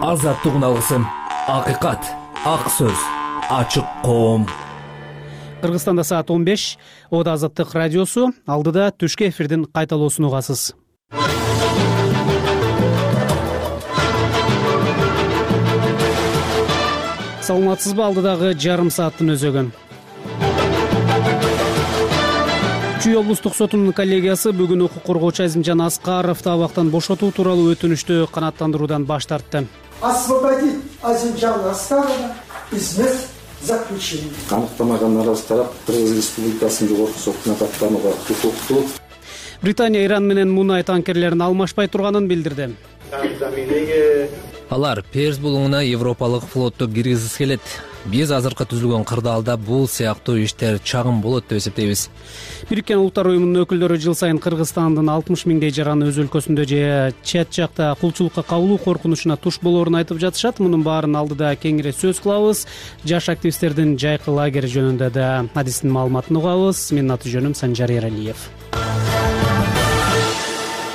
Азаттык алгысым, акыйкат, ак сөз, ачык коом. Кыргызстанда саат 15. Ода Азаттык радиосу. Алдыда түшкү эфирдин кайталоосун угасыз. Саламатсызбы? Алдыдагы жарым сааттын өзөгөн. Чүй облустук сотунун коллегиясы бүгүн укук коргоочу Азимжан Аскаровду абактан бошотуу тууралуу өтүнүштү канааттандыруудан баш тартты. Освободить Азимжана Аскарова из мест заключения. Аныктамаган наразы тарап Кыргыз Республикасынын жогорку сотуна каттанууга укуктуу. Британия Иран менен мунай танкерлерин алмашпай турганын билдирди. Алар Перс булуңуна Европалык флотту киргизгиси келет. Биз азыркы түзүлгөн кырдаалда бул сыяктуу иштер чагым болот деп эсептейбиз. Бириккен Улуттар уюмунун өкүлдөрү жыл сайын Кыргызстандын 60 миңдей жараны өз өлкөсүндө же чет жакта кулчулукка кабылуу коркунучуна туш болоорун айтып жатышат. Мунун баарын алдыда кеңири сөз кылабыз. Жаш активисттердин жайкы лагери жөнүндө да адистин маалыматын угабыз. Менин аты жөнүм Санжар Эралиев.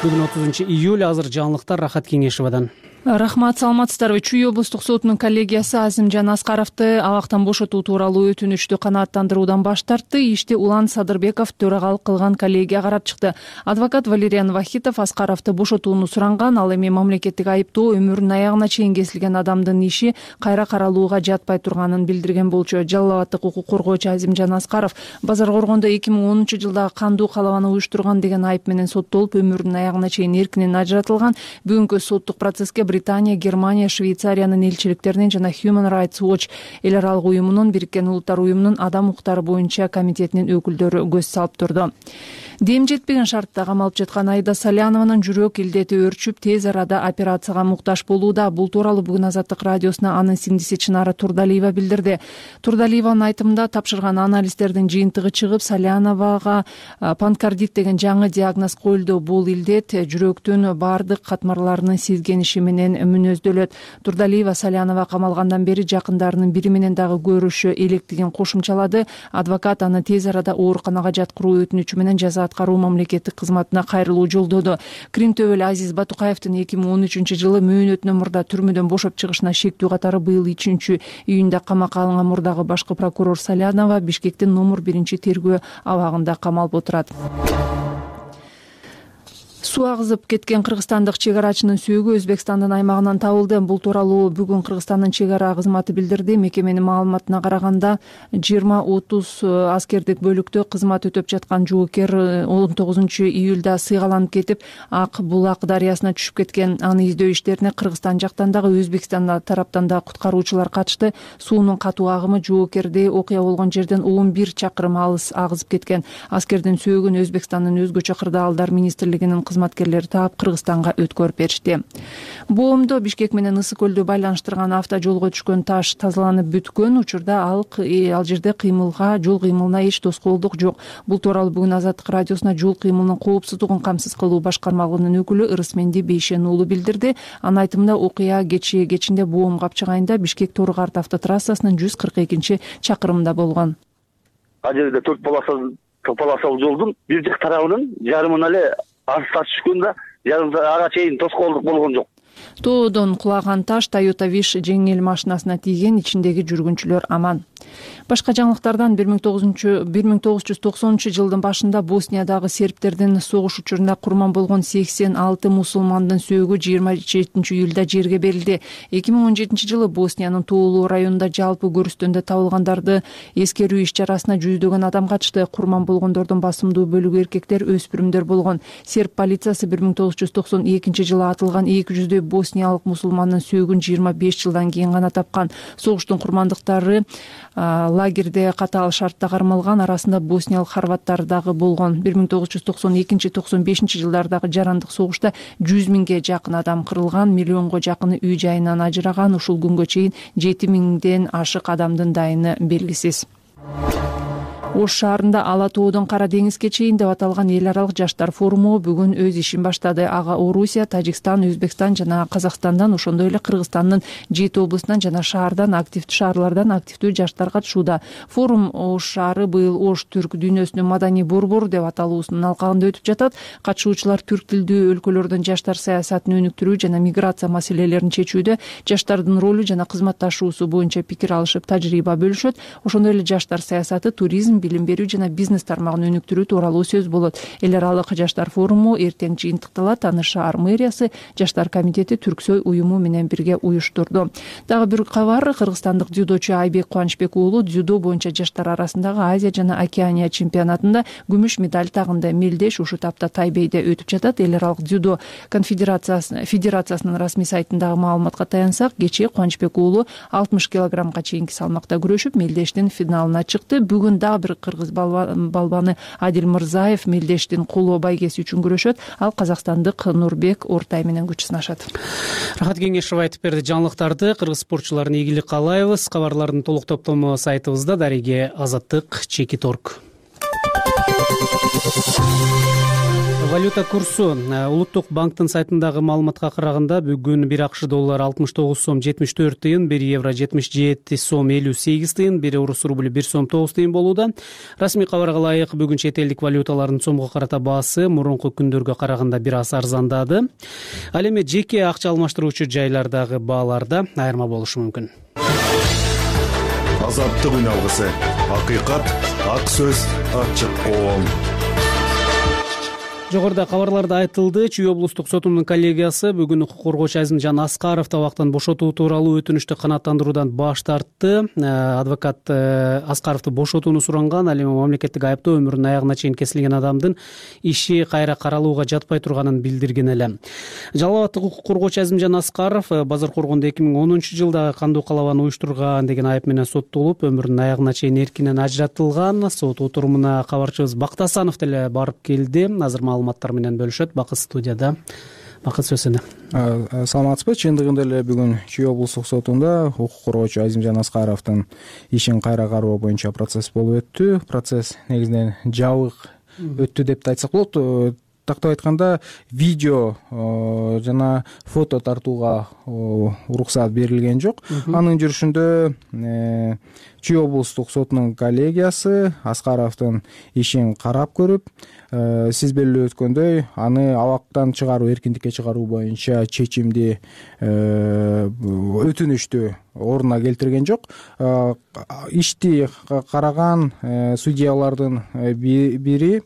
Бүгүн 30 июль. Азыр жаңылыктар Рахат Кеңешевадан. Рахмат, саламатсыздарбы? Чүй облустук сотунун коллегиясы Азимжан Аскаровду абактан бошотуу тууралуу өтүнүштү канааттандыруудан баш тартты. Ишти Улан Садырбеков төрагалык кылган коллегия карап чыкты. Адвокат Валериан Вахитов Аскаровду бошотууну суранган. Ал эми мамлекеттик айыптоо өмүрүнүн аягына чейин кесилген адамдын иши кайра каралууга жатпай турганын билдирген болчу. Жалал абаддык укук коргоочу Азимжан Аскаров Базар Коргондо 2010 жылдагы кандуу калабаны уюштурган деген айып менен соттолуп, өмүрүнүн аягына чейин эркинен ажыратылган. Бүгүнкү соттук процесске Британия, Германия, Швейцариянын элчиликтеринин жана Human Rights Watch эл аралык уюмунун, Бириккен Улуттар уюмунун адам укуктары боюнча комитетинин өкүлдөрү көз салып турду. Дем жетпеген шартта камалып жаткан Аида Салянованын жүрөк илдети өөрчүп, тез арада операцияга муктаж болууда. Бул тууралуу бүгүн Азаттык радиосуна анын сиңдиси Чынара Турдалиева билдирди. Турдалиеванын айтымында тапшырган анализдердин жыйынтыгы чыгып, Саляновага панкардит деген жаңы диагноз коюлду. Бул илдет жүрөктүн баардык катмарларынын сезгениши менен мүнөздөлөт. Турдалиева Салянова камалгандан бери жакындарынын бири менен дагы көрүшү электигин кошумчалады. Адвокат аны тез арада ооруканага жаткыруу өтүнүчү менен жаза аткаруу мамлекеттик кызматына кайрылуу жолдоду. Крим төбөлү Азиз Батукаевдин 2013 жылы мөөнөтүнөн мурда түрмөдөн бошоп чыгышына шектүү катары быйыл 3 июнда камакка алынган мурдагы башкы прокурор Салянова Бишкектин номер 1 тергөө абагында камалып отурат. Суу агызып кеткен кыргызстандык чек арачынын сүйөгү Өзбекстандын аймагынан табылды. Бул тууралуу бүгүн Кыргызстандын чек ара кызматы билдирди. Мекеменин маалыматына караганда 20-30 аскердик бөлүктө кызмат өтөп жаткан жоокер 19 июлда сыйгаланып кетип, Ак Булак дарыясына түшүп кеткен. Аны издөө иштерине Кыргызстан жактан дагы Өзбекстан тараптан да куткаруучулар катышты. Суунун катуу агымы жоокерди окуя болгон жерден 11 чакырым алыс агызып кеткен. Аскердин сүйөгүн Өзбекстандын өзгөчө кырдаалдар министрлигинин кызматкерлери таап Кыргызстанга өткөрүп беришти. Боомдо Бишкек менен Ысык көлдү байланыштырган автожолго түшкөн таш тазаланып бүткөн. Учурда ал жерде жол кыймылына эч тоскоолдук жок. Бул тууралуу бүгүн Азаттык радиосуна жол кыймылынын коопсуздугун камсыз кылуу башкармалыгынын өкүлү Ырысменди Бейшен уулу билдирди. Анын айтымында окуя кечинде Боом капчыгайында Бишкек Тору-Карт автотрассасынын 142 чакырымында болгон. Ал жерде 4 полосалуу жолдун бир жак тарабынын жарымына эле таш түшкөндө жарым ага чейин тоскоолдук болгон жок. Тоодон кулаган таш Toyota Wish жеңил машинасына тийген, ичиндеги жүргүнчүлөр аман. Башка жаңылыктардан 1990 жылдын башында Босниядагы сербтердин согуш учурунда курман болгон 86 мусулмандын сөөгү 27 июлда жерге берилди. 2017 жылы Босниянын тоолуу районунда жалпы көрүстөндө табылгандарды эскерүү иш-чарасына жүздөгөн адам катышты. Курман болгондордун басымдуу бөлүгү эркектер, өспүрүмдөр болгон. Серб полициясы 1992 жылы атылган 200 босниялык мусулмандын сөөгүн 25 жылдан кийин гана тапкан. Согуштун курмандыктары лагерде катаал шартта кармалган, арасында босниялык хорваттар дагы болгон. 1992-95 жылдардагы жарандык согушта 100 миңге жакын адам кырылган, миллионго жакыны үй жайынан ажыраган. Ушул күнгө чейин 7 миңден ашык адамдын дайыны белгисиз. Ош шаарында Ала тоодон Кара деңизге чейин деп аталган эл аралык жаштар форуму бүгүн өз ишин баштады. Ага Орусия, Тажикстан, Өзбекстан жана Казакстандан, ошондой эле Кыргызстандын 7 облусунан жана шаарлардан активдүү жаштар катышууда. Форум Ош шаары быйыл Ош түрк дүйнөсүнүн маданий борбору деп аталуусунун алкагында өтүп жатат. Катышуучулар түрк тилдүү өлкөлөрдөн жаштар саясатын өнүктүрүү жана миграция маселелерин чечүүдө жаштардын ролу жана кызматташуусу боюнча пикир алышып, тажрыйба бөлүшөт. Ошондой эле жаштар саясаты, туризм, билим берүү жана бизнес тармагын өнүктүрүү тууралуу сөз болот. Эл аралык жаштар форуму эртең жыйынтыкталат. Аны шаар мэриясы, жаштар комитети, Түрксой уюму менен бирге уюштурду. Дагы бир кабар, кыргызстандык дзюдочу Айбек Кубанычбек уулу дзюдо боюнча жаштар арасындагы Азия жана Океания чемпионатында күмүш медаль тагынды. Мелдеш ушул тапта Тайбейде өтүп жатат. Эл аралык дзюдо федерациясынын расмий сайтындагы маалыматка таянсак, кечээ Кубанычбек уулу 60 килограммга чейинки салмакта күрөшүп, Мелдештин финалына чыкты. Бүгүн дагы бир кыргыз балбаны Адил Мырзаев Мелдештин кулоо байгеси үчүн күрөшөт. Ал казакстандык Нурбек Ортай менен күч сынашат. Рахат Кеңешов айтып берди жаңылыктарды. Кыргыз спортчуларына ийгилик каалайбыз. Кабарлардын толук топтому сайтыбызда. Дареге Азаттык, Чекит.орг. Валюта курсу. Улуттук банктын сайтындагы маалыматка караганда бүгүн 1 АКШ доллары 69 сом 74 тыйын, 1 евро 77 сом 58 тыйын, 1 орус рубль 1 сом 9 тыйын болууда. Расмий кабарга ылайык бүгүн чет элдик валюталардын сомго карата баасы мурунку күндөргө караганда бир аз арзандады. Ал эми жеке акча алмаштыруучу жайлардагы бааларда айырма болушу мүмкүн. Азаттык үн алгысы. Акыйкат, ак сөз, ачык коом. Жогоруда кабарларда айтылды, Чүй облустук сотунун коллегиясы бүгүн укук коргоочу Азимжан Аскаровду абактан бошотуу тууралуу өтүнүштү канааттандыруудан баш тартты. Адвокат Аскаровду бошотууну суранган, ал эми мамлекеттик айыптоо өмүрүнүн аягына чейин кесилген адамдын иши кайра каралууга жатпай турганын билдирген эле. Жалал абаддык укук коргоочу Азимжан Аскаров базар коргондо 2010-жылда кандуу калабаны уюштурган деген айып менен соттолуп, өмүрүнүн аягына чейин эркинен ажыратылган. Сот отурумуна кабарчыбыз Бактасанов деле барып келди. Азыр маалыматтар менен бөлүшөт. Бакыт студияда. Бакыт, сөз сенде. Саламатсызбы? Чындыгында эле бүгүн Чүй облустук сотунда укук коргоочу Азимжан Аскаровдун ишин кайра кароо боюнча процесс болуп өттү. Процесс негизинен жабык өттү деп да айтсак болот. Тактап айтканда, видео жана фото тартууга уруксат берилген жок. Анын жүрүшүндө Чүй облустук сотунун коллегиясы Аскаровдун ишин карап көрүп, сиз белгилеп өткөндөй, аны абактан чыгаруу, эркиндикке чыгаруу боюнча чечимди, өтүнүштү ордуна келтирген жок. Ишти караган судьялардын бири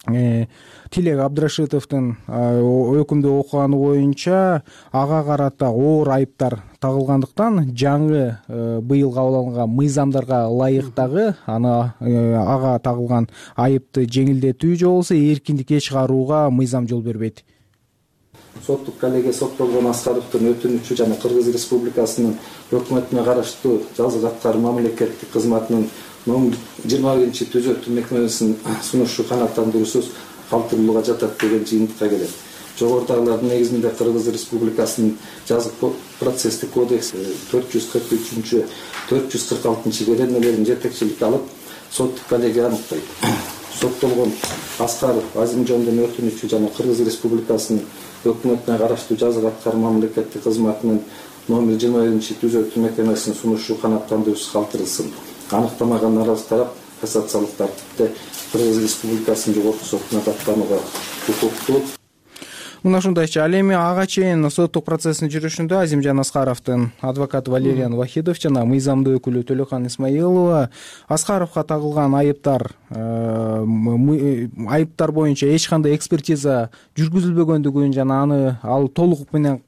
Тилек Абдрашитовдун өкүмдү окуганы боюнча ага карата оор айыптар тагылгандыктан жаңы быйыл кабыл алынган мыйзамдарга ылайыктагы ага тагылган айыпты жеңилдетүү же болбосо эркиндикке чыгарууга мыйзам жол бербейт. Соттук коллегия соттолгон Аскаровдун өтүнүчү жана Кыргыз Республикасынын өкмөтүнө караштуу жазык аткаруу мамлекеттик кызматынын номер 21-түзөтүү мекемесинин сунушу канааттандыруусуз калтырылууга жатат деген жыйынтыкка келет. Жогорудагылардын негизинде Кыргыз Республикасынын жазык процесстик кодекси 443-446 беренелерин жетекчиликке алып, соттук коллегия аныктайт. Соттолгон Аскаров Азимжандын өтүнүчү жана Кыргыз Республикасынын өкмөтүнө караштуу жазык аткаруу мамлекеттик кызматынын номер 21-түзөтүү мекемесинин сунушу канааттандыруусуз калтырылсын. Аныктамаган наразы тарап кассациялык тартипте Кыргыз Республикасынын жогорку сотуна даттанууга укуктуу. Мына ушундайча, ал эми ага чейин соттук процесстин жүрүшүндө Азимжан Аскаровдун адвокаты Валериан Вахидов жана мыйзамдуу өкүлү Төлөкан Исмаилова Аскаровго тагылган айыптар боюнча эч кандай экспертиза жүргүзүлбөгөндүгүн жана ал толук менен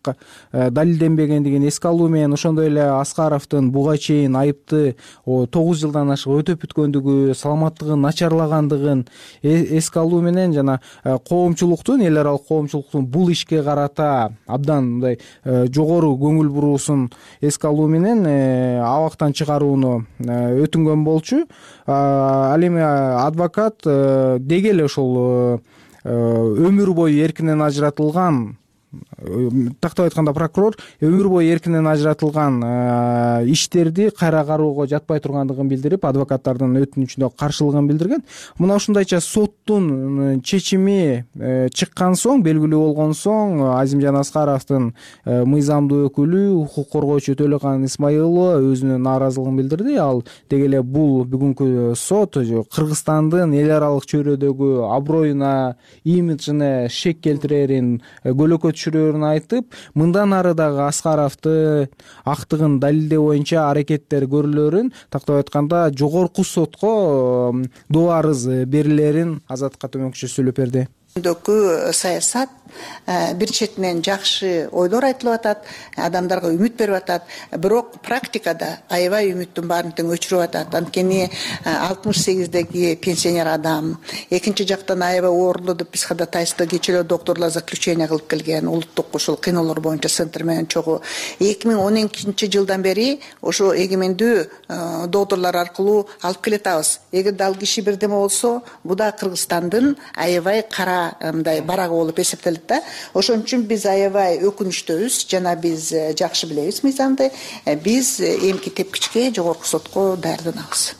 далилденбегендигин эске алуу менен, ошондой эле Аскаровдун буга чейин айыпты 9 жылдан ашык өтөп бүткөндүгү, саламаттыгын начарлагандыгын эске алуу менен жана коомчулуктун, эл аралык коомчулуктун бул ишке карата абдан мындай жогору көңүл буруусун эске алуу менен абактан чыгарууну өтүнгөн болчу. Ал эми адвокат деги эле ошол өмүр бою эркинен ажыратылган тактап айтканда прокурор өмүр бою эркинен ажыратылган иштерди кайра кароого жатпай тургандыгын билдирип, адвокаттардын өтүнүчүнө каршылыгын билдирген. Мына ушундайча соттун чечими чыккан соң, белгилүү болгон соң, Азимжан Аскаровдун мыйзамдуу өкүлү, укук коргоочу Төлөкан Исмаилова өзүнүн нааразылыгын билдирди. Ал деги эле бул бүгүнкү сот Кыргызстандын эл аралык чөйрөдөгү аброюна, имиджине шек келтирерин, көлөкө түшүрөрүн айтып, мындан ары дагы Аскаровду актыгын далилдөө боюнча аракеттер көрүлөрүн, тактап айтканда жогорку сотко доо арыз берилерин Азаттыкка төмөнкүчө сүйлөп берди. Саясат бир четинен жакшы ойлор айтылып атат, адамдарга үмүт берип атат, бирок практикада аябай үмүттүн баарын тең өчүрүп атат. Анткени 68деги пенсионер адам, экинчи жактан аябай оорлуу деп биз ходатайство кечээ докторлор заключение кылып келген, улуттук ушул кыйноолор боюнча центр менен чогуу 2012-жылдан бери ошо эгемендүү докторлор аркылуу алып келатабыз. Эгерде ал киши бирдеме болсо, бул да Кыргызстандын аябай кара мындай барагы болуп эсептелет да. Ошон үчүн биз аябай өкүнүчтөбүз, жана биз жакшы билебиз мыйзамды. Биз эмки тепкичке жогорку сотко даярданабыз.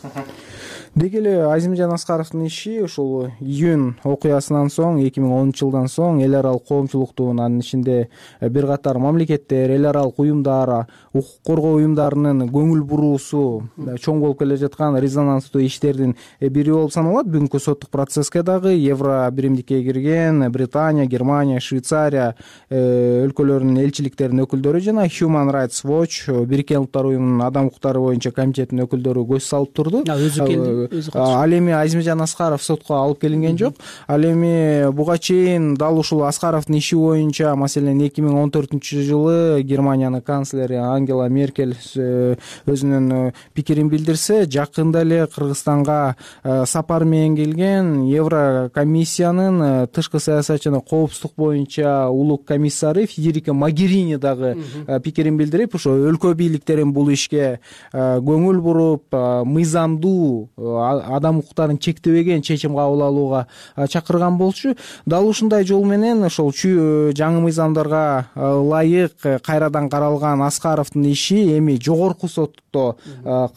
Деги эле Азимжан Аскаровдун иши ушул июнь окуясынан соң, 2010-жылдан соң эл аралык коомчулуктун, анын ичинде бир катар мамлекеттер, эл аралык уюмдар, укук коргоо уюмдарынын көңүл буруусу чоң болуп келе жаткан резонанстуу иштердин бири болуп саналат. Бүгүнкү соттук процесске дагы Евро биримдикке кирген Британия, Германия, Швейцария өлкөлөрүнүн элчиликтеринин өкүлдөрү жана Human Rights Watch, Бириккен Улуттар уюмунун адам укуктары боюнча комитетинин өкүлдөрү көз салып турду. Ал эми Азимжан Аскаров сотко алып келинген жок. Ал эми буга чейин дал ушул Аскаровдун иши боюнча, маселен 2014-жылы Германиянын канцлери Ангела Меркель өзүнүн пикирин билдирсе, жакында эле Кыргызстанга сапар менен келген Еврокомиссиянын тышкы саясат жана коопсуздук боюнча улук комиссары Федерика Могерини дагы пикирин билдирип, ошо өлкө бийликтерин бул ишке көңүл буруп, мыйзамдуу адам укуктарын чектебеген чечим кабыл алууга чакырган болчу. Дал ушундай жол менен ошол жаңы мыйзамдарга ылайык кайрадан каралган Аскаровдун иши эми жогорку сотто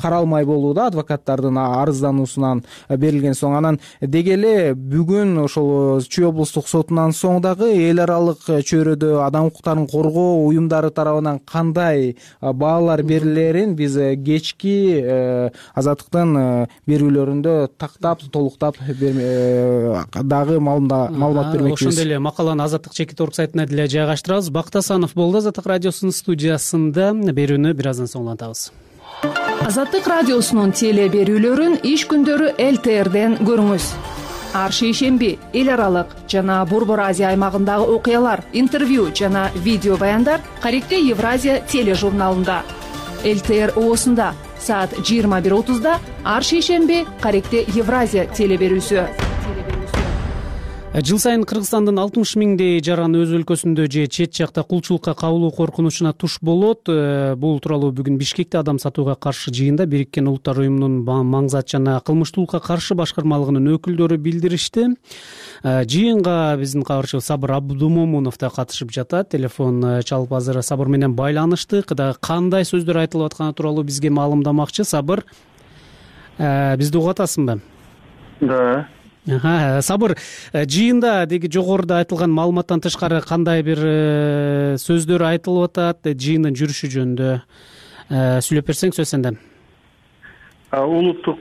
каралмай болууда, адвокаттардын арыздануусунан берилген соң. Анан деги эле бүгүн ошол Чүй облустук сотунан соң дагы эл аралык чөйрөдө адам укуктарын коргоо уюмдары тарабынан кандай баалар берилерин биз кечки Азаттыктын берүүлөрүндө тактап, толуктап дагы маалымат бермекчибиз. Ошондой эле макаланы Азаттык чекит орг сайтына деле жайгаштырабыз. Бакыт Асанов болду Азаттык радиосунун студиясында. Берүүнү бир аздан соң улантабыз. Азаттык радиосунун теле берүүлөрүн иш күндөрү ЛТРден көрүңүз. Ар шейшемби эл аралык жана Борбор Азия аймагындагы окуялар, интервью жана видео баяндар Каректе Евразия тележурналында. ЛТР оосунда саат 21:30 ар шейшемби Каректе Евразия теле берүүсү. Жыл сайын Кыргызстандын 60 миңдей жаран өз өлкөсүндө же чет жакта кулчулукка кабылуу коркунучуна туш болот. Бул тууралуу бүгүн Бишкекте адам сатууга каршы жыйында Бириккен Улуттар уюмунун маңзат жана кылмыштуулукка каршы башкармалыгынын өкүлдөрү билдиришти. Жыйынга биздин кабарчыбыз Сабыр Абдумомунов да катышып жатат. Телефон чалып азыр Сабыр менен байланыштык. Кандай сөздөр айтылып атканы тууралуу бизге маалымдамакчы. Сабыр, бизди угуп атасыңбы? Да. Сабыр, жыйында деги жогоруда айтылган маалыматтан тышкары кандай бир сөздөр айтылып атат, жыйындын жүрүшү жөнүндө сүйлөп берсең сөз сенде. Улуттук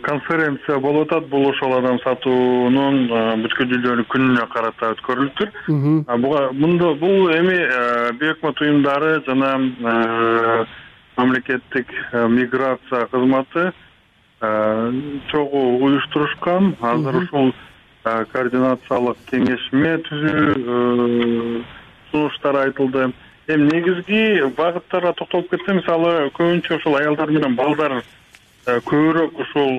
конференция болуп атат. Бул ошол адам сатуунун бүткүл дүйнөлүк күнүнө карата өткөрүлүптүр. Бул эми бейөкмөт уюмдары жана мамлекеттик миграция кызматы чогуу уюштурушкан. Азыр ушул координациялык кеңешме түзүү сунуштар айтылды. Эми негизги багыттарга токтолуп кетсем, мисалы көбүнчө ушул аялдар менен балдар көбүрөөк ушул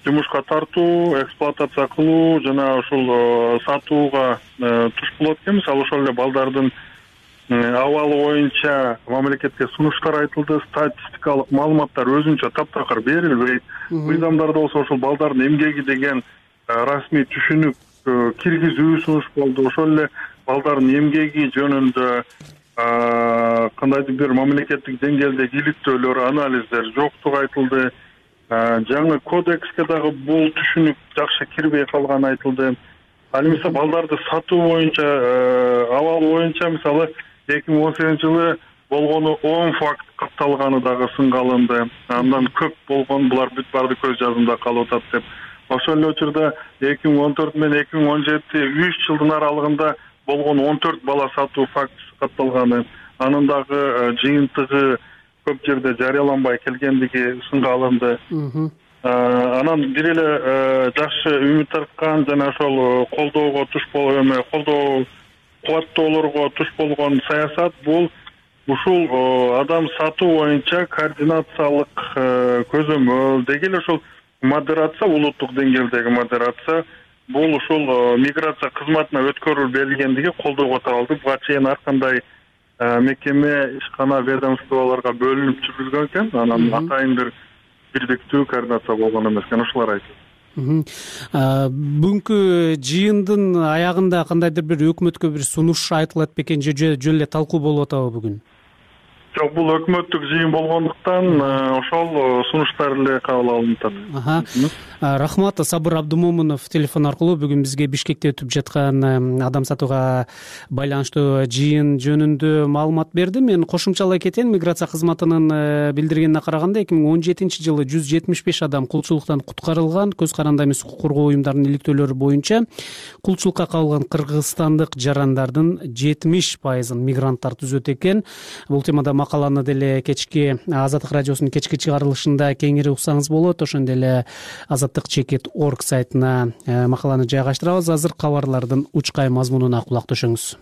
жумушка тартуу, эксплуатация кылуу жана ушул сатууга туш болот экен. Мисалы ошол эле балдардын абалы боюнча мамлекетке сунуштар айтылды, статистикалык маалыматтар өзүнчө таптакыр берилбейт. Мыйзамдарда болсо ошол балдардын эмгеги деген расмий түшүнүк киргизүү сунуш болду. Ошол эле балдардын эмгеги жөнүндө кандайдыр бир мамлекеттик деңгээлдеги иликтөөлөр, анализдер жоктугу айтылды. Жаңы кодекске дагы бул түшүнүк жакшы кирбей калганы айтылды. Ал эми балдарды сатуу боюнча абал боюнча мисалы 2018-жылы болгону 10 факт катталганы дагы сынга алынды. Андан көп болгон булар бүт барды көз жазымда калып атат деп. Ошол эле учурда 2014 менен 2017 3 жылдын аралыгында болгон 14 бала сатуу фактысы катталганы, анын дагы жыйынтыгы көп жерде жарыяланбай келгендиги сынга алынды. Анан бир эле жакшы үмүт арткан жана ошол колдоого туш колдоо кубаттоолорго туш болгон саясат бул ушул адам сатуу боюнча координациялык көзөмөл деги эле ушул модерация, улуттук деңгээлдеги модерация бул ушул миграция кызматына өткөрүлүп берилгендиги колдоого таралды. Буга чейин ар кандай мекеме, ишкана, ведомстволорго бөлүнүп жүргүзгөн экен. Анан атайын бир бирдиктүү координация болгон эмес экен, ушулар айтылды. Бүгүнкү жыйындын аягында кандайдыр бир өкмөткө бир сунуш айтылат бекен же жөн эле талкуу болуп атабы бүгүн? Жок, бул өкмөттүк жыйын болгондуктан ошол сунуштар эле кабыл алынып атат. Рахмат. Сабыр Абдумомунов телефон аркылуу бүгүн бизге Бишкекте өтүп жаткан адам сатууга байланыштуу жыйын жөнүндө маалымат берди. Мен кошумчалай кетейин. Миграция кызматынын билдиргенине караганда 2017-жылы 175 адам кулчулуктан куткарылган. Көз каранды эмес укук коргоо уюмдарынын иликтөөлөрү боюнча кулчулукка кабылган кыргызстандык жарандардын 70%-ын мигранттар түзөт экен. Бул темада макаланы деле кечки Азаттык радиосунун кечки чыгарылышында кеңири уксаңыз болот. Ошондой эле Azatlyk.org сайтына макаланы жайгаштырабыз. Азыр кабарлардын учкай мазмунуна кулак төшөңүз.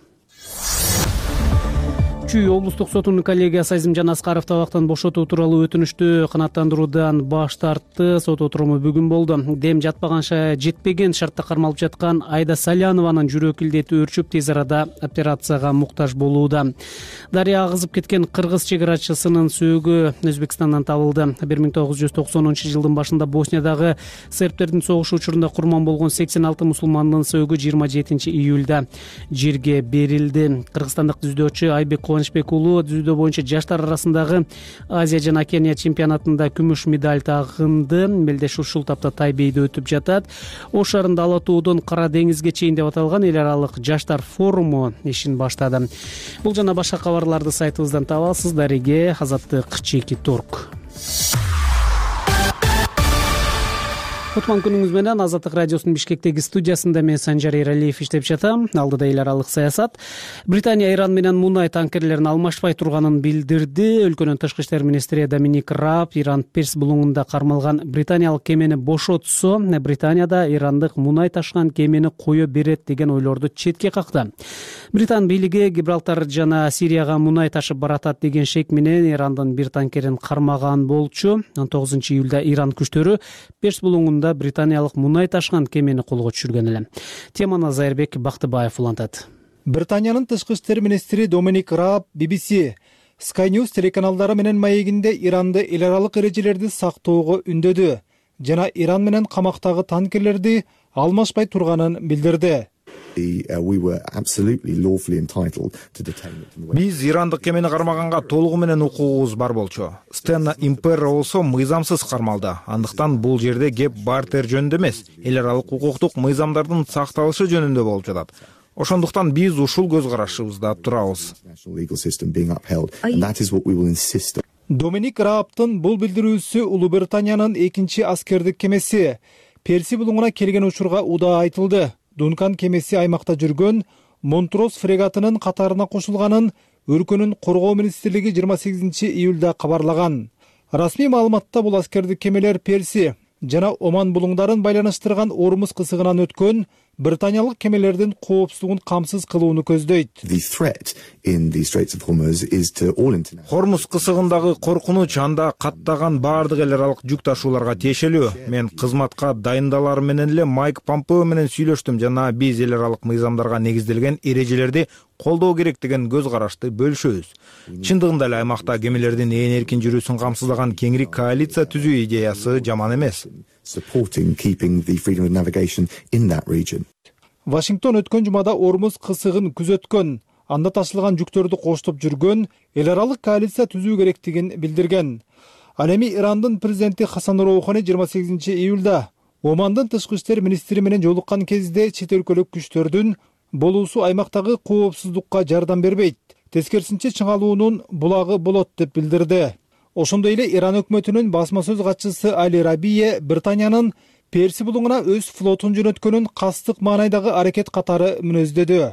Чүй облустук сотунун коллегиясы Азимжан Аскаровду абактан бошотуу тууралуу өтүнүштү канааттандыруудан баш тартты. Сот отуруму бүгүн болду. Дем жатпаганча жетпеген шартта кармалып жаткан Айда Салянованын жүрөк илдети өөрчүп тез арада операцияга муктаж болууда. Дарыя агызып кеткен кыргыз чегарачысынын сөөгү Өзбекстандан табылды. 1990-жылдын башында Босниядагы сербтердин согушу учурунда курман болгон 86 мусулмандын сөөгү 27 июлда жерге берилди. Кыргызстандык жүзөөчү Айбек Кубанычбек уулу жүзөө боюнча жаштар арасындагы Азия жана Океания чемпионатында күмүш медаль тагынды. Белдешүү ушул тапта Тайбейде өтүп жатат. Ош шаарында Ала тоодон Кара деңизге чейин деп аталган эл аралык жаштар форуму ишин баштады. Бул жана башка кабарларды сайтыбыздан таба аласыз. Дариге Azatlyk.org. Кутман күнүңүз менен. Азаттык радиосунун Бишкектеги студиясында мен Санжар Эралиев иштеп жатам. Алдыда эл аралык саясат. Британия Иран менен мунай танкерлерин алмашпай турганын билдирди. Өлкөнүн тышкы иштер министри Доминик Раб Иран Перс булуңунда кармалган британиялык кемени бошотсо, Британияда ирандык мунай ташыган кемени кое берет деген ойлорду четке какты. Британ бийлиги Гибралтар жана Сирияга мунай ташып баратат деген шек менен Ирандын бир танкерин кармаган болчу. 19-июлда Иран күчтөрү Перс булуңунда британиялык мунай ташыган кемени колго түшүргөн эле. Теманы Зайырбек Бактыбаев улантат. Британиянын тышкы иштер министри Доминик Раб BBC, Sky News телеканалдары менен маегинде Иранды эл аралык эрежелерди сактоого үндөдү жана Иран менен камактагы танкерлерди алмашпай турганын билдирди. Биз ирандык кемени кармаганга толугу менен укугубуз бар болчу. Стена Имперро болсо мыйзамсыз кармалды. Андыктан бул жерде кеп бартер жөнүндө эмес, эл аралык укуктук мыйзамдардын сакталышы жөнүндө болуп жатат. Ошондуктан биз ушул көз карашыбызда турабыз. Доминик Рабтын бул билдирүүсү Улуу Британиянын экинчи аскердик кемеси Перси булуңуна келген учурга удаа айтылды. Дункан кемеси аймакта жүргөн Монтрос фрегатынын катарына кошулганын өлкөнүн коргоо министрлиги 28 июлда кабарлаган. Расмий маалыматта бул аскердик кемелер Перси жана Оман булуңдарын байланыштырган Ормуз кысыгынан өткөн британиялык кемелердин коопсуздугун камсыз кылууну көздөйт. Хормуз кысыгындагы коркунуч анда каттаган баардык эл аралык жүк ташууларга тиешелүү. Мен кызматка дайындалар менен эле Майк Помпео менен сүйлөштүм жана биз эл аралык мыйзамдарга негизделген эрежелерди колдоо керек деген көз карашты бөлүшөбүз. Чындыгында эле аймакта кемелердин ээн эркин жүрүүсүн камсыздаган кеңири коалиция түзүү идеясы жаман эмес. Вашингтон өткөн жумада Ормуз кысыгын күзөткөн, анда ташылган жүктөрдү коштоп жүргөн эл аралык коалиция түзүү керектигин билдирген. Ал эми Ирандын президенти Хасан Роухани 28 июлда Омандын тышкы иштер министри менен жолуккан кезде чет өлкөлүк күчтөрдүн болуусу аймактагы коопсуздукка жардам бербейт, тескерисинче чыңалуунун булагы болот деп билдирди. Ошондой эле Иран өкмөтүнүн басма сөз катчысы Али Рабие Британиянын Перси булуңуна өз флотун жөнөткөнүн кастык маанайдагы аракет катары мүнөздөдү.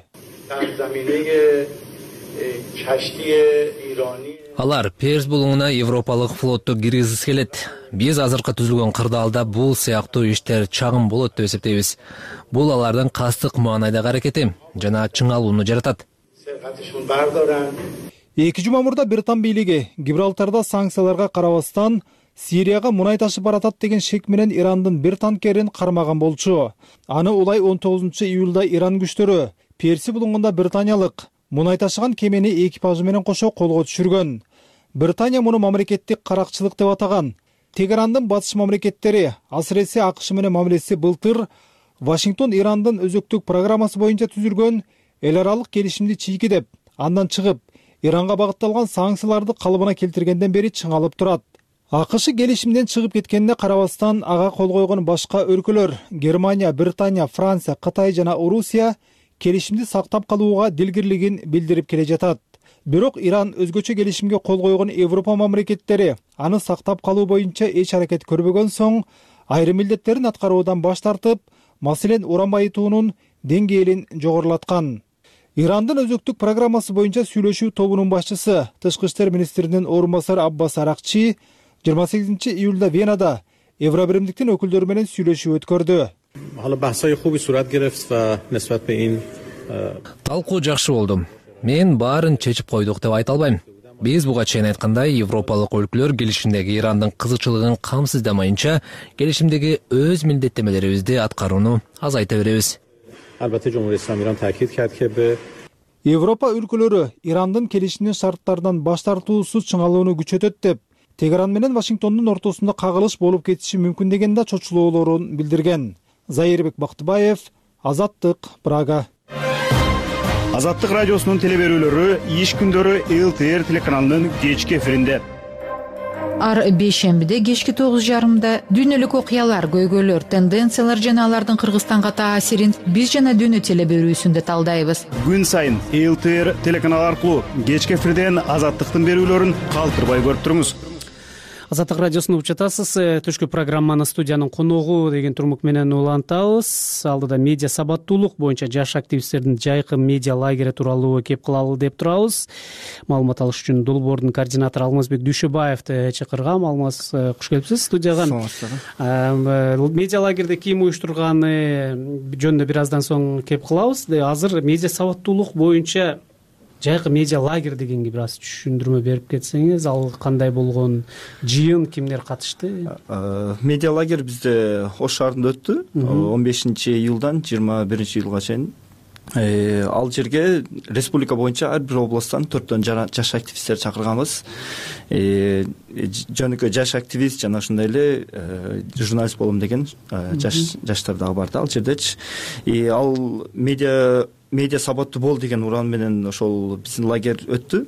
Алар Перс булуңуна европалык флотту киргизгиси келет. Биз азыркы түзүлгөн кырдаалда бул сыяктуу иштер чагым болот деп эсептейбиз. Бул алардын кастык маанайдагы аракети жана чыңалууну жаратат. 2 жума мурда Британ бийлиги Гибралтарда санкцияларга карабастан Сирияга мунай ташып баратат деген шек менен Ирандын бир танкерин кармаган болчу. Аны улай 19 июлда Иран күчтөрү Перси булуңунда британиялык мунай ташыган кемени экипажы менен кошо колго түшүргөн. Британия муну мамлекеттик каракчылык деп атаган. Тегерандын батыш мамлекеттери, асыресе АКШ менен мамилеси былтыр Вашингтон Ирандын өзөктүк программасы боюнча түзүлгөн эл аралык келишимди чийки деп, андан чыгып, Иранга багытталган санкцияларды калыбына келтиргенден бери чыңалып турат. АКШ келишимден чыгып кеткенине карабастан ага кол койгон башка өлкөлөр Германия, Британия, Франция, Кытай жана Орусия келишимди сактап калууга дилгирлигин билдирип келе жатат. Бирок Иран өзгөчө келишимге кол койгон Европа мамлекеттери аны сактап калуу боюнча эч аракет көрбөгөн соң, айрым милдеттерин аткаруудан баш тартып, маселен уран байытуунун деңгээлин жогорулаткан. Ирандын өзөктүк программасы боюнча сүйлөшүү тобунун башчысы, тышкы иштер министринин орун басары Аббас Аракчи 28 июлда Венада Евробиримдиктин өкүлдөрү менен сүйлөшүү өткөрдү. Талкуу жакшы болду. Мен баарын чечип койдук деп айта албайм. Биз буга чейин айткандай, европалык өлкөлөр келишимдеги Ирандын кызыкчылыгын камсыздамайынча, келишимдеги өз милдеттемелерибизди аткарууну азайта беребиз. Европа өлкөлөрү Ирандын келишимдин шарттарынан баш тартуусу чыңалууну күчөтөт деп, Тегеран менен Вашингтондун ортосунда кагылыш болуп кетиши мүмкүн деген да чочулоолорун билдирген. Зайырбек Бактыбаев, Азаттык, Прага. Азаттык радиосунун телеберүүлөрү иш күндөрү ЛТР телеканалынын кечки эфиринде. Ар бейшембиде кечки 9:30 дүйнөлүк окуялар, көйгөйлөр, тенденциялар жана алардын Кыргызстанга таасирин биз жана дүйнө телеберүүсүндө талдайбыз. Күн сайын ЛТР телеканалы аркылуу кечки эфирден Азаттыктын берүүлөрүн калтырбай көрүп туруңуз. Азаттык радиосун угуп жатасыз. Түшкү программаны студиянын коногу деген турмук менен улантабыз. Алдыда медиа сабаттуулук боюнча жаш активисттердин жайкы медиа лагери тууралуу кеп кылалы деп турабыз. Маалымат алыш үчүн Долбоордун координатору Алмазбек Дүйшөбаевди чакыргам. Алмаз, куш келипсиз студияга. Медиа лагерде ким уюштурганы жөнүндө бир аздан соң кеп кылабыз. Азыр медиа сабаттуулук боюнча жайкы медиа лагер дегенге бир аз түшүндүрмө берип кетсеңиз, ал кандай болгон, жыйын кимдер катышты? Медиа лагер бизде Ош шаарында өттү. 15 июлдан 21 июлга чейин. Ал жерге республика боюнча ар бир областтан 4 жаш активисттер чакырганбыз. Жөнөкөй жаш активист жана ошондой эле журналист болом деген жаштар дагы барды ал жердечи. Ал медиа сабаттуу бол деген уран менен ошол биздин лагерь өттү.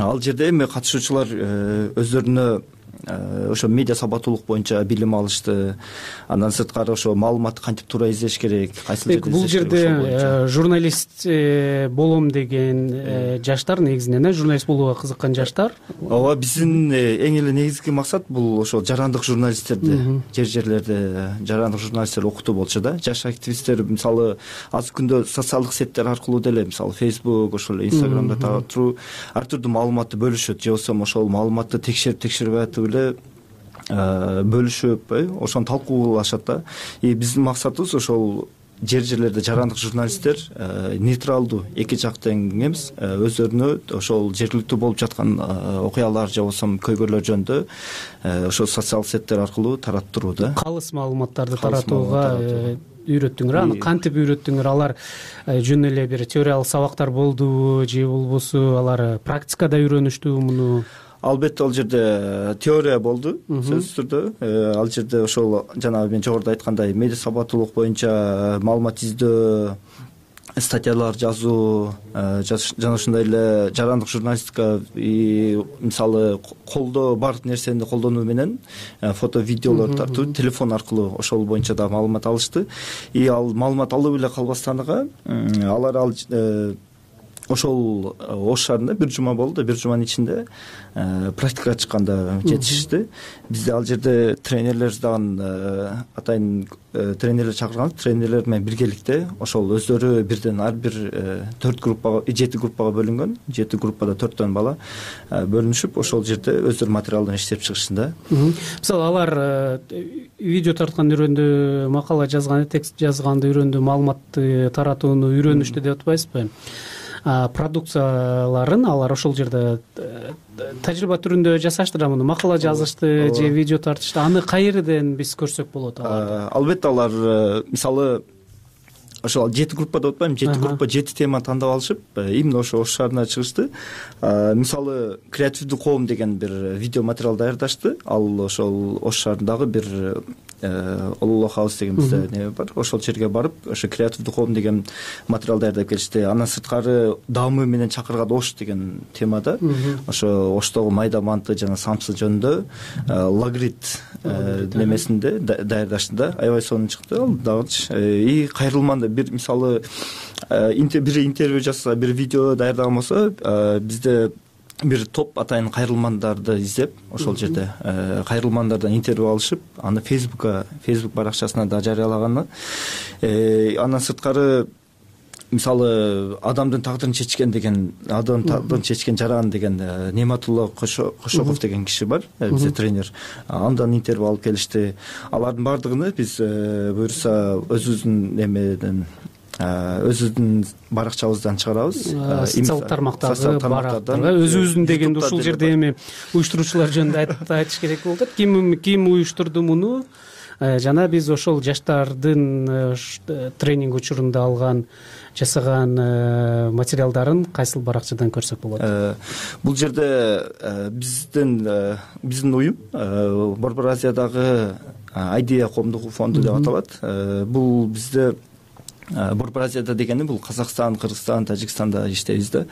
Ал жерде эми катышуучулар өздөрүнө ошо медиа сабаттуулук боюнча билим алышты. Андан сырткары ошо маалыматты кантип туура издеш керек, кайсыл жерде бул жерде журналист болом деген жаштар негизинен журналист болууга кызыккан жаштар. Ооба, биздин эң эле негизги максат бул ошо жарандык журналисттерди, жерлерде жарандык журналисттер окутуу болчу да. Жаш активисттер мисалы азыр күндө социалдык сеттер аркылуу деле мисалы Facebook, ошол эле Instagramда ар түрдүү маалыматты бөлүшөт, же болбосо ошол маалыматты текшербей атып эле бөлүшүп, ошону талкуулашат да. Биздин максатыбыз ошол жерлерде жарандык журналисттер нейтралдуу, эки жактан эмес, өздөрүнө ошол жергиликтүү болуп жаткан окуялар же болбосо көйгөйлөр жөнүндө ошол социалдык сеттер аркылуу тараттыруу да. Калыс маалыматтарды таратууга үйрөттүңөр. Аны кантип үйрөттүңөр? Алар жөн эле бир теориялык сабактар болдубу же болбосо алар практикада үйрөнүштүбү муну? Албетте ал жерде теория болду сөзсүз түрдө. Ал жерде ошол жанагы мен жогоруда айткандай медиа сабаттуулук боюнча маалымат издөө, статьялар жазуу, жана ошондой эле жарандык журналистика, мисалы колдоо бар нерсени колдонуу менен фото видеолор тартуу, телефон аркылуу ошол боюнча да маалымат алышты. Ал маалымат алып эле калбастан алар ошол Ош шаарында бир жума болду. Бир жуманын ичинде практикага чыкканда жетишишти. Бизде ал жерде тренерлер дагы атайын тренерлер чакырган. Тренерлер менен биргеликте ошол өздөрү бирден ар бир 4 группага, 7 группага бөлүнгөн. 7 группада 4төн бала бөлүнүшүп, ошол жерде өздөрү материалдан иштеп чыгышты да. Мисалы алар видео тартканды үйрөндү, макала жазганды, текст жазганды үйрөндү, маалыматты таратууну үйрөнүштү деп атпайсызбы? Продукцияларын алар ошол жерде тажрыйба түрүндө жасашты да, муну макала жазышты же видео тартышты. Аны кайерден биз көрсөк болот? Албетте алар мисалы ошол 7 группа деп атпайм, 7 группа 7 тема тандап алышып, именно ошо Ош шаарына чыгышты. Мисалы креативдүү коом деген бир видео материал даярдашты. Ал ошол Ош шаарындагы бир Ололо хаус деген бизде неме бар. Ошол жерге барып, ошо креативдүү коом деген материал даярдап келишти. Андан сырткары даамы менен чакырган Ош деген темада ошо Оштогу майда манты жана самсы жөнүндө лагрит немесинде даярдашты да. Аябай сонун чыкты. Ал дагы кайрылманды бир мисалы бир интервью жасаса, бир видео даярдаган болсо, бизде бир топ атайын кайрылмандарды издеп, ошол жерде кайрылмандардан интервью алышып, аны Facebook баракчасына да жарыялаганы. Андан сырткары мисалы адамдын тагдырын чечкен деген, адамдын тагдырын чечкен жаран деген Нематулла Кошоков деген киши бар, бизде тренер. Андан интервью алып келишти. Алардын бардыгын биз буюрса өзүбүздүн баракчабыздан чыгарабыз. Социалдык тармактарга өзүбүздүн дегенде ушул жерде эми уюштуруучулар жөнүндө айтыш керек болуп атат. Ким уюштурду муну? Жана биз ошол жаштардын тренинг учурунда жасаган материалдарын кайсыл баракчадан көрсөк болот? Бул жерде биздин уюм Борбор Азиядагы Idea коомдук фонду деп аталат. Бул бизде Борбор Азияда дегени бул Казакстан, Кыргызстан, Тажикстанда иштейбиз да.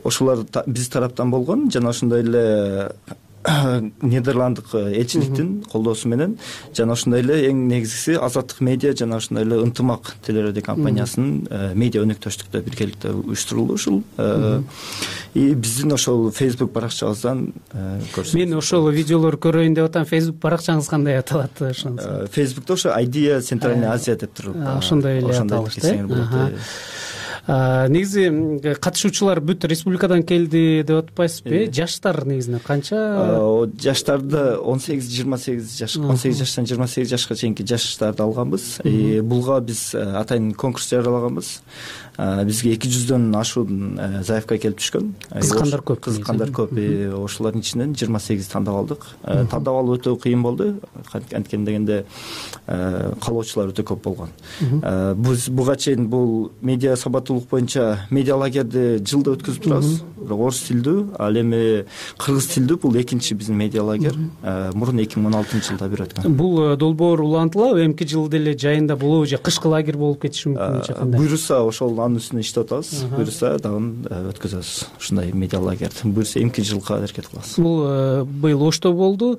Ошолор биз тараптан болгон, жана ошондой эле Нидерланддык элчиликтин колдоосу менен, жана ошондой эле эң негизгиси Азаттык медиа жана ошондой эле Ынтымак телерадио компаниясынын медиа өнөктөштүктө биргеликте уюштурулду ушул. Биздин ошол Facebook баракчабыздан көрсөт. Мен ошол видеолорду көрөйүн деп атам. Facebook баракчаңыз кандай аталат ошондо? Facebook'та ошо Idea Центральная Азия деп туруп. Ошондой эле аталышты. Негизи катышуучулар бүт республикадан келди деп атпайсызбы? Жаштар негизинен канча? Жаштарды 18-28 жаш, 18 жаштан 28 жашка чейинки жаштарды алганбыз. Булга биз атайын конкурс жарыялаганбыз. Бизге 200дөн ашуун заявка келип түшкөн. Кызыккандар көп. Ошолордун ичинен 28 тандап алдык. Тандап алуу өтө кыйын болду. Анткени дегенде каалоочулар өтө көп болгон. Буга чейин бул медиа сабаттуулук боюнча медиа лагерди жылда өткөзүп турабыз. Бирок орус тилдүү, ал эми кыргыз тилдүү бул экинчи биздин медиа лагер. Мурун 2016-жылда бир өткөн. Бул долбоор улантылабы? Эмки жылы деле жайында болобу же кышкы лагер болуп кетиши мүмкүн же кандай? Буюрса ошол анын үстүнө иштеп атабыз. Буюрса дагы өткөзөбүз ушундай медиа лагерди. Буюрса эмки жылга аракет кылабыз. Бул быйыл Ошто болду.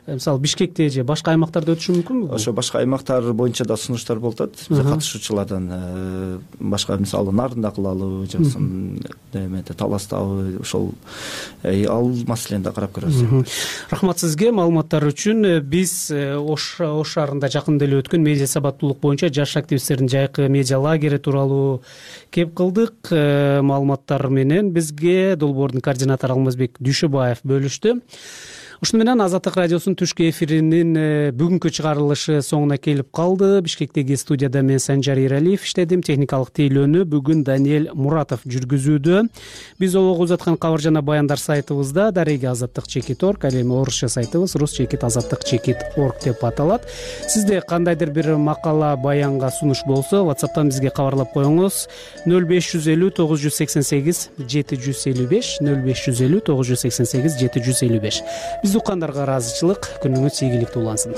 Мисалы Бишкекте же башка аймактарда өтүшү мүмкүнбү? Ошо башка аймактар боюнча да сунуштар болуп атат. Бизде катышуучулардан башка мисалы Нарында кылалы, жаксын немеде Таластабы, ошол ал маселени да карап көрөбүз. Рахмат сизге маалыматтар үчүн. Биз Ош шаарында жакында эле өткөн медиа сабаттуулук боюнча жаш активисттердин жайкы медиа лагери тууралуу кеп кылдык. Маалыматтар менен бизге долбоордун координатору Алмазбек Дүйшөбаев бөлүштү. ушуну менен Азаттык радиосунун түшкү эфиринин бүгүнкү чыгарылышы соңуна келип калды. Бишкектеги студияда мен Санжар Эралиев иштедим. Техникалык тейлөөнү бүгүн Даниэль Муратов жүргүзүүдө. Биз олого узаткан кабар жана баяндар сайтыбызда @azattik.org, ал эми орусча сайтыбыз rus.azattik.org деп аталат. Сизде кандайдыр бир макала, баянга сунуш болсо, WhatsApp'тан бизге кабарлап коюңуз. 0550 988 755 0550 988 755. Биз уккандарга ыраазычылык, күнүңүз ийгиликтүү улансын.